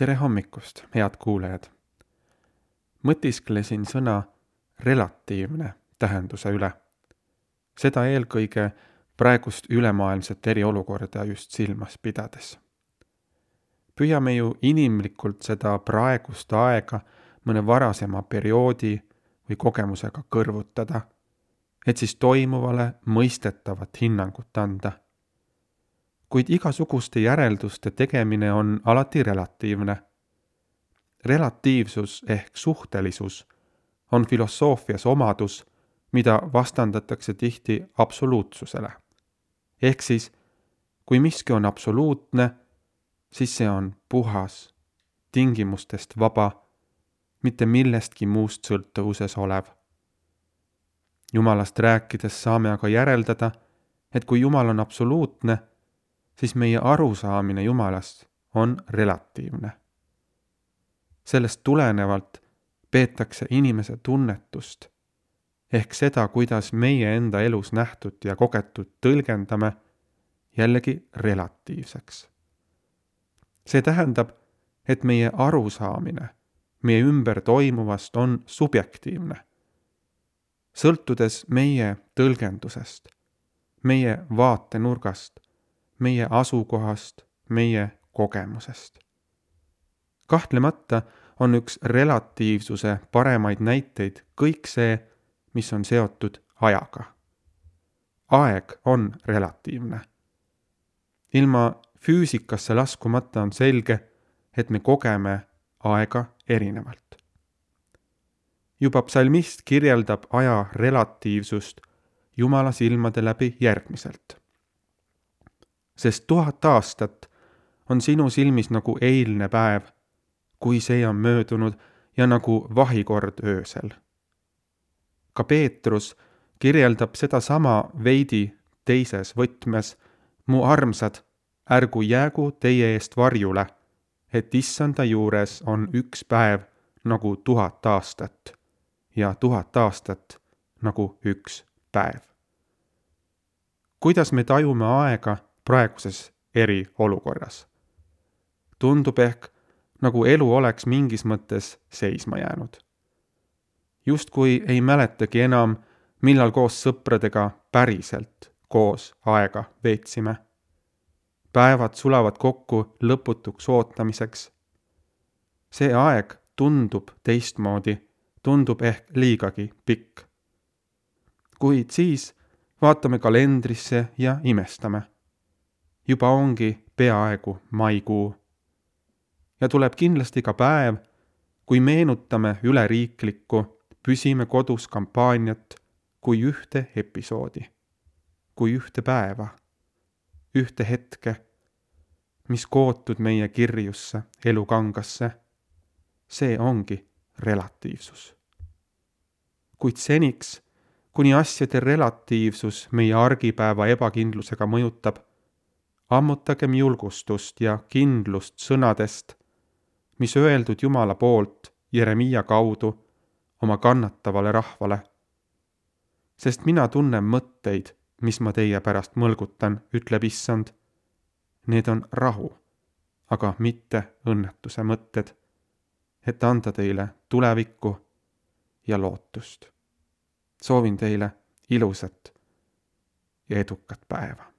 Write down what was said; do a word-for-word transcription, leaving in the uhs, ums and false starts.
Tere hommikust, head kuulajad! Mõtisklesin sõna relatiivne tähenduse üle. Seda eelkõige praegust ülemaailmset eriolukorda just silmas pidades. Püüame ju inimlikult seda praegust aega mõne varasema perioodi või kogemusega kõrvutada, et siis toimuvale mõistetavat hinnangut anda. Kuid igasuguste järelduste tegemine on alati relatiivne. Relatiivsus ehk suhtelisus on filosoofias omadus, mida vastandatakse tihti absoluutsusele. Ehk siis, kui miski on absoluutne, siis see on puhas, tingimustest vaba, mitte millestki muust sõltuvuses olev. Jumalast rääkides saame aga järeldada, et kui Jumal on absoluutne, siis meie arusaamine Jumalast on relatiivne. Sellest tulenevalt peetakse inimese tunnetust, ehk seda, kuidas meie enda elus nähtud ja kogetud tõlgendame, jällegi relatiivseks. See tähendab, et meie arusaamine meie ümber toimuvast on subjektiivne, sõltudes meie tõlgendusest, meie vaatenurgast, meie asukohast, meie kogemusest. Kahtlemata on üks relatiivsuse paremaid näiteid kõik see, mis on seotud ajaga. Aeg on relatiivne. Ilma füüsikasse laskumata on selge, et me kogeme aega erinevalt. Juba psalmist kirjeldab aja relatiivsust Jumala silmade läbi järgmiselt. Sest tuhat aastat on sinu silmis nagu eilne päev, kui see on möödunud ja nagu vahikord öösel. Ka Peetrus kirjeldab seda sama veidi teises võtmes, mu armsad, ärgu jäägu teie eest varjule, et issanda juures on üks päev nagu tuhat aastat ja tuhat aastat nagu üks päev. Kuidas me tajume aega praeguses eriolukorras? Tundub ehk, nagu elu oleks mingis mõttes seisma jäänud. Justkui ei mäletagi enam, millal koos sõpradega päriselt koos aega veetsime. Päevad sulavad kokku lõputuks ootamiseks. See aeg tundub teistmoodi, tundub ehk liigagi pikk. Kuid siis vaatame kalendrisse ja imestame. Juba ongi peaaegu maikuu. Ja tuleb kindlasti ka päev, kui meenutame üleriiklikku püsime kodus kampaaniat kui ühte episoodi, kui ühte päeva, ühte hetke, mis kootud meie kirjusse elukangasse. See ongi relatiivsus. Kuid seniks, kuni asjade relatiivsus meie argipäeva ebakindlusega mõjutab, ammutagem julgustust ja kindlust sõnadest, mis öeldud Jumala poolt Jeremiia kaudu oma kannatavale rahvale. Sest mina tunnen mõtteid, mis ma teie pärast mõlgutan, ütleb issand. Need on rahu, aga mitte õnnetuse mõtted, et anda teile tulevikku ja lootust. Soovin teile ilusat ja edukat päeva.